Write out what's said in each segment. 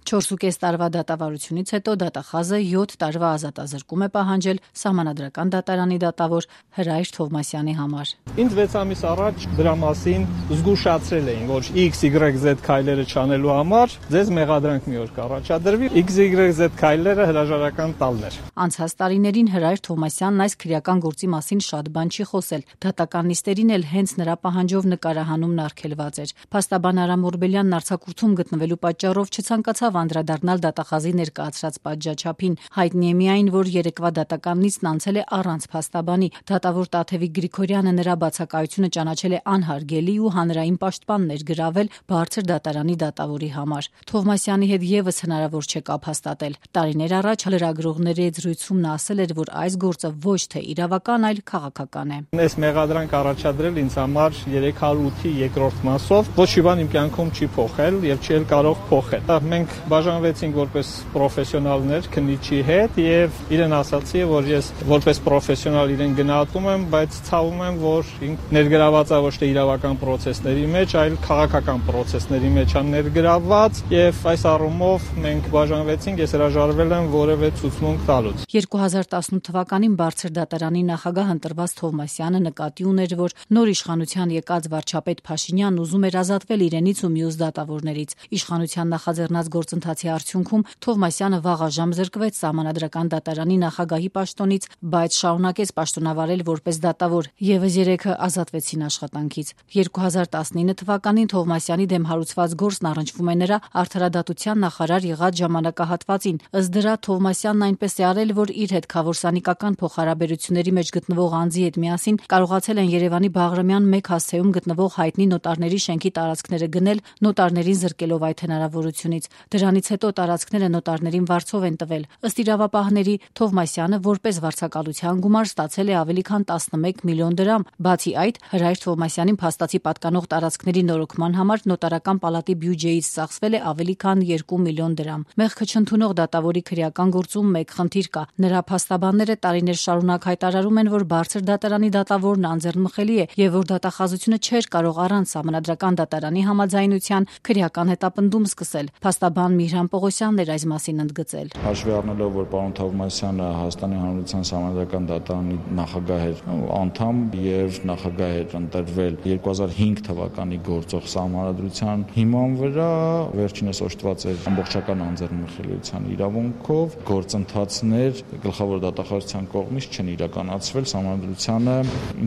4,5 տարվա դատավարությունից հետո դատախազը 7 տարվա ազատազրկում է պահանջել Սահմանադրական դատարանի դատավոր Հրայր Թովմասյանի համար։ Ինձ 6 ամիս առաջ դրա մասին զգուշացրել էին, որ XYZ քայլերը չանելու համար ձեզ մեղադրանք մի օր կառաջադրվի, XYZ քայլերը հրաժարական տալն էր։ Անցած տարիներին Հրայր Թովմասյանն այս քրեական գործի մասին շատ բան չի խոսել։ Դատական նիստերին էլ հենց նրա պահանջով նկարահանումն արգելված էր։ Փաստաբան Արամ Օրբելյանն արձակուրդում գտնվելու պատճառով չցանկացավ անդրադառնալ դատախազի ներկայացրած պատժաչափին։ Հայտնի է միայն, որ երեկվա դատական նիստն անցել է առանց փաստաբանի։ Դատավոր Տաթևիկ Գրիգորյանը նրա բացակայությունը ճանաչել է անհարգելի ու հանրային պաշտպաններ գրավել բարձր դատարանի դատավորի համար։ Թովմասյանի հետ եւս հնարավոր չէ կապ հաստատել։ Տարիներ առաջ լրագրողների հետ զրույցում նա ասել էր, որ այս գործը ոչ թե իրավական, այլ քաղաքական է։ Այս մեղադրանք առաջադրել ինձ համար 308-ի երկրորդ մասով ոչ մի բան իմ կյանքում չի փոխել եւ չի էլ կարող փոխել։ Մենք բաժանվեցինք որպես պրոֆեսիոնալներ քննիչի հետ եւ իրեն ասացի, որ ես որպես պրոֆեսիոնալ իրեն գնահատում եմ, բայց ցավում եմ, որ ներգրաված է ոչ թե իրավական process-ների մեջ, այլ քաղաքական process-ների մեջ է ներգրաված եւ այս առումով մենք բաժանվեցինք, ես հրաժարվել եմ որևէ ցուցմունք տալուց։ 2018 թվականին բարձր դատարանի նախագահ ընտրված Թովմասյանը նկատի ուներ, որ նոր իշխանության եկած վարչապետ Փաշինյանն ուզում էր ազատվել իրենից ու մյուս դատավորներից։ Իշխանության նախաձեռնած գործընթացի արդյունքում Թովմասյանը վաղաժամ զրկվեց Սահմանադրական դատարանի նախագահի պաշտոնից, բայց շարունակեց պաշտոնավարել որպես դատավոր։ Եվս 3-ը ազատվեցին աշխատանքից։ 2019 թվականին Թովմասյանի դեմ հարուցված գործն առնչվում է նրա արդարադատության նախարար եղած ժամանակահատվածին։ Ըստ դրա Թովմասյանն այնպես է արել, որ իր հետ քավորսանիկական փոխհարաբերությունների մեջ գտնվող անձի հետ միասին կարողացել են Երևանի Բաղրամյան 1 հասցեում գտնվող հայտնի նոտարների շենքի տարածքները գնել, նոտարներին զրկելով այդ հնարավորությունից։ Դրանից հետո տարածքները նոտարներին վարձով են տվել։ Ըստ իրավապահների, Թովմասյանը որպես վարձակալության գումար ստացել է ավելի քան 11 միլիոն դրամ։ Բացի այդ, Հրայր Թովմասյանին փաստացի պատկանող տարածքների նորոգման համար նոտարական պալատի բյուջեից ծախսվել է ավելի քան 2 միլիոն դրամ։ Մեղքը չընդունող դատավորի քրեական գործում մեկ խնդիր կա։ Նրա փաստաբանները տարիներ շարունակ հայտարարում են, որ բարձր դատարանի դատավորն անձեռնմխելի է եւ որ դատախազությունը չէր կարող առանց Սահմանադրական դատարանի համաձայնության քրեական հետապնդում սկսել։ Փաստաբան Միհրան Պողոսյանն էր այս մասին ընդգծել։ Հաշվի առնելով, որ պարոն Թովմասյանը Հայաստանի Հանրության Սահմանադրական դատարանի նախագահ էր անդամ եւ նախագահ էր ընտրվել 2005 թվականի գործող սահմանադրության հիման վրա, վերջինս օժտված էր ամբողջական անձեռնմխելիության իրավունքով, գործընթացներ գլխավոր դատախազության կողմից չեն իրականացվել սահմանադրությանը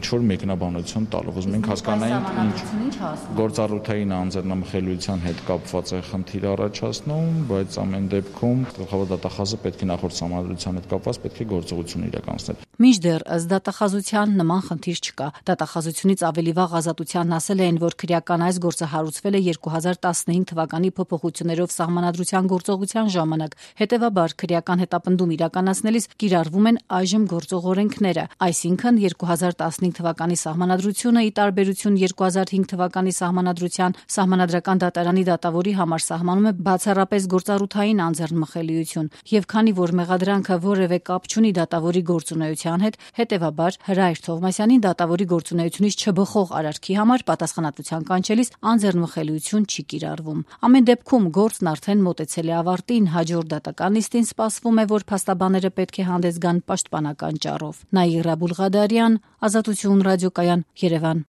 ինչ որ մեկնաբանություն տալով։ Ուզում ենք հասկանալ ինչ գործառութային անձեռնմխելիության հետ կապված է խնդիր առաջացնում, բայց ամեն դեպքում գլխավոր դատախազը պետք է նախորդ սահմանադրության հետ կապված պետք է գործողություն իրականացնել։ Մինչդեռ ըստ դատախազության նման խնդիր չկա։ Դատախազությունից ավելի վաղ Ազատությանն ասել են, որ քրեական այս գործը հարուցվել է 2015 թվականի փոփոխություններով սահմանադրության գործողության ժամանակ։ Հետևաբար քրեական հետապնդում իրականացնելիս կիրառվում են այժմ գործող օրենքները, այսինքն 2015 թվականի սահմանադրությունը ի տարբերություն 2005 թվականի սահմանադրության Սահմանադրական դատարանի դատավորի համար սահմանում է բացառապես գործառութային անձեռնմխելիություն, եւ քանի որ մեղադրանքը որևէ կապ չունի դատավորի գործունեության հետ, հետևաբար Հրայր Թովմասյանին դատավորի գործունեությունից չբխող արարքի համար պատասխանատվության կանչելիս անձեռնմխելիություն չի կիրառվում։ Ամեն դեպքում գործն արդեն մոտեցել է ավարտին, հաջորդ դատական նիստին սպասվում է, որ փաստաբանները պետք է հանդես գան պաշտպանական ճառով։ Նաիրա Բուլղադարյան, Ազատություն ռադիոկայան, Երևան։